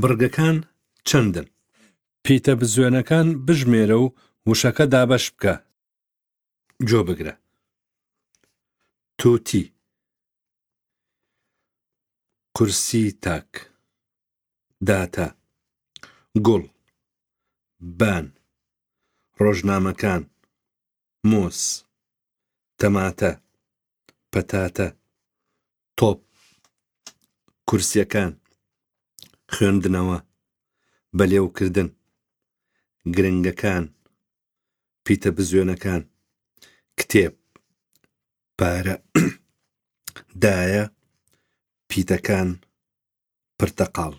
بڕگەکان چەندن؟ پیتە بزوێنەکان بژمێرە و وشەکە دابەش بکە. گۆ بگرە. توتی. کورسی تاک. داتا. گوڵ. بان. ڕۆژنامەکان. مۆز. تەماتە. پەتاتە. تۆپ. کورسیەکان. خوێندنەوە. بەلێوکردن. گرنگەکان. پیتە بزوێنەکان. کتێب. پارە. دایە. پیتەکان. پرتەقاڵ.